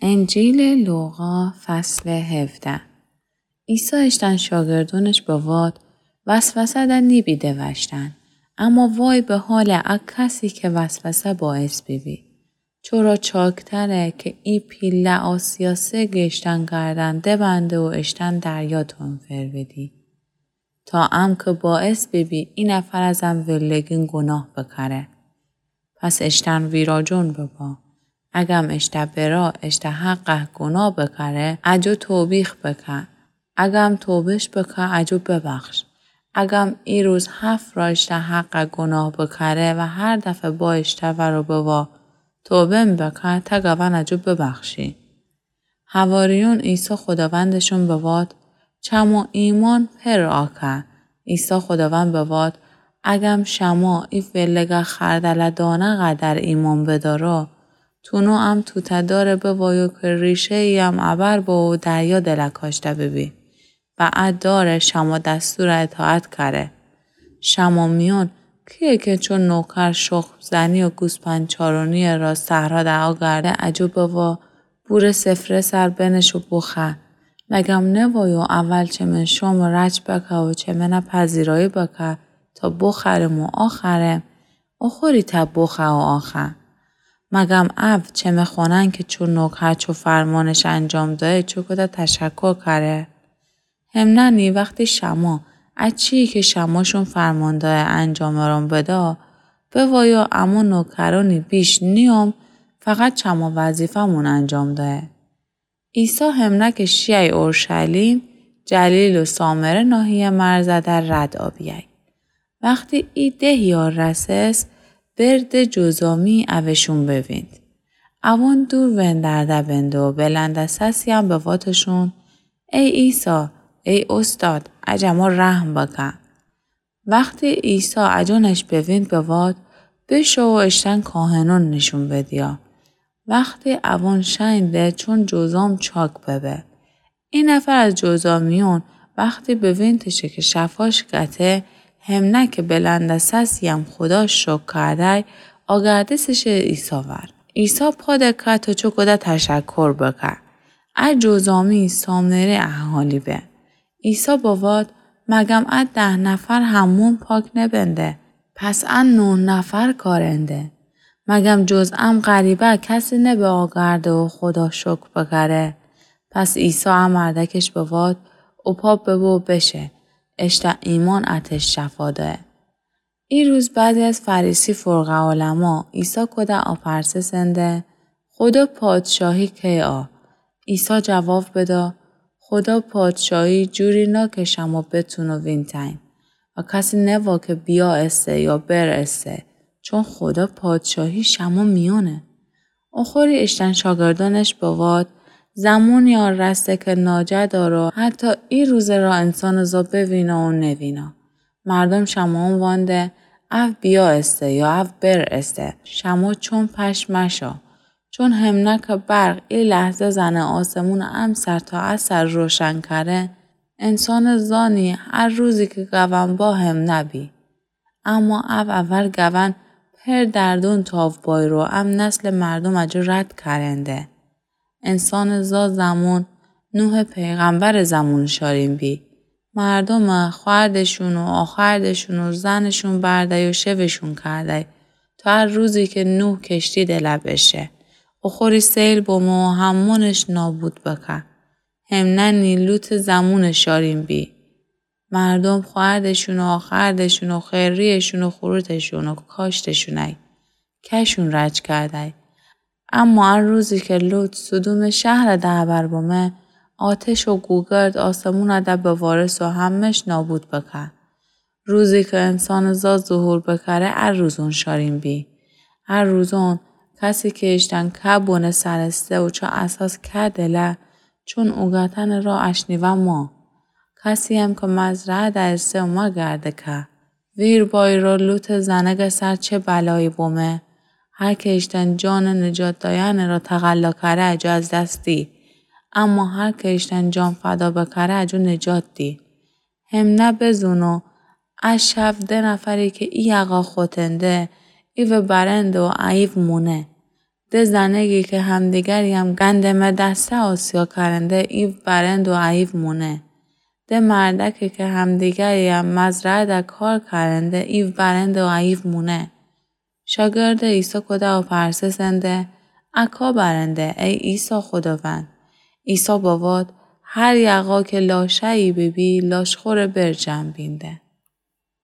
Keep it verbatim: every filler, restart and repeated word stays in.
انجیلٚ لوقا، فصلٚ هفده. عیسی اشتن شاگردونش بواد: وسوسه ده نیبیده وشتن، اما وای به حالٚ ا کسی که وسوسه باعث بیبی. چرا چاکتره که ای پیله آسیا سه گشتن گردن دبنده و اشتن دریا تون فرویدی. تا ام که باعث بیبی ای نفر از ام ولگین گناه بکره. پس اشتن ویراجون ببا. اگم اشته برا اشته حقه گناه بکره، اجو توبیخ بکه. اگم توبش بکه، اجو ببخش. اگم ای روز هفت را اشته حقه گناه بکره و هر دفعه با اشته ورو ببا توبه م بکه، تا گون اجو ببخشی. حواریون عیسی خوداوندشون بواد: چمو ایمأن پر آکه. عیسی خوداوند بواد: اگم شما ای فلگه خردله دانه قدر ایمأن بدارو، تونو ام توته داره بوایو که ریشه‌یی ام ابر بو و دریا دله کاشته ببی و ا داره شما دستوره اطاعت کره. شما میون کیه که چون نوکر شخم زنی و گوسپند چارونی را صحرا ده آگرده اجو بوا بوره سفره سر بنش و بوخه؟ مگم نوایو اول چمن شام رج بکه و چمنه پذیرایی بکه تا بوخرم و آخرم؟ اوخوری تا بوخه و آخه. مگم او چمه خونن که چون نوکر چو فرمانش انجام دایه چوکوده تشکر کره؟ همننی وختی شما ا چیی که شماشون فرمان دایه انجام رون بدا، بوایو امو نوکرونی بیش نییم، فقط چمو وظیفه‌مون انجام دایه. عیسی همنه که شیی اورشلیم، جلیل و سامره ناحیه مرزه در رد آبیی. وختی ای دهیا رسس، برد جذامی اوشون بوینید. اوان دور وندرده بنده و بلند سسی ام بواتشون: ای عیسی، ای اوستاد، اجمو رحم بکه. وختی عیسی اجونش بوینید بواد: بشو و اشتن کاهنون نیشون بدیا. وختی اوان شئیندی چون جذام چاک ببه. ای نفر از جذامیون وختی بوینتشه که شفاش گته، همنه که بلند سسی ام خودا شکر کردی، آگردستشه عیسی ور. عیسی پا دکه تا چوکوده تشکر بکه. ا جذامی سامره اهالی به. عیسی بواد: مگم ا ده نفر همون پاک نبنده؟ پس ا نه نفر کارنده؟ مگم جز ام غریبه کسی نبه آگرده و خودا شکر بکره؟ پس عیسی ا مردکش بواد: او پا ببو بشه، اشته ایمان اتش شفا دایه. ای روز بعضی از فریسی فرقه علما عیسی کوده آپرسسنده: خودا پادشاهی کیه؟ عیسی جواب بدا: خودا پادشاهی جوری نه که شما بتونو وینتین و کسی نوا که بیا اسه یا بر اسه، چون خودا پادشاهی شما میونه. اوخوری اشتن شاگردونش بواد: زمونی آرسه که ناجه دارو حتی ای روزه را انسان زا بوینه و نوینه. مردم شمعون وانده: او بیا استه یا او بر استه، شما چون پشت مشو. چون همنه که برق ای لحظه زنه آسمون امسر تا اسر روشن کره، انسان زانی هر روزی که گون با همنه بی. اما او اول گون پر دردون تاو بایرو ام نسل مردم اجو رد کرنده. انسان زا زمون نوح پیغمبر زمون شارین بی. مردم خوأردشون و آخردشون و زنشون بردی و شوشون کردی تا هر روزی که نوح کشتی دله بشه و خوری سیل بومه و همونش نابود بکه. همننی لوط زمون شارین بی. مردم خوأردشون و آخردشون و خریشون و خوروتشون و کاشتشونی. کشون رج کردی. اما ا روزی که لوط سدوم شهر ده ابر بومه، آتش و گوگرد آسمون ده بوارس و همش نابود بکه. روزی که انسان زا ظهور بکره، ا روزون شارین بی. ا روزون کسی که اشتن که بونه سرسته و چه اساس که دله، چون اوگتن را اشنیوه ما. کسی هم که مزرعه ده اسه و مگرده که. ویر بایرو لوط زنگ سر چه بلایی بومه. هر که اشتن جان نجات داین را تقلا کره اجو از دست دی. اما هر که اشتن جان فدا بکره اجو نجات دی. همنه بزونو ا شب ده نفری که ای یقا خوتنده، ایوه برنده و ایو مونه. ده زنگی کی همدیگریم گندمٚ دسته آسیا کأرنده، ایو برند و ایو مونه. ده مردکی کی همدیگریم مزرعه‌ده کار کأرنده، ایو برند و ایو مونه. شاگردٚ عیسی کوده و پرسسنده: اکا برنده، ای عیسی خوداوند؟ عیسی بواد: هر یقا کی لاشه‌یی بیبی، لاشخورٚ برجم بینده.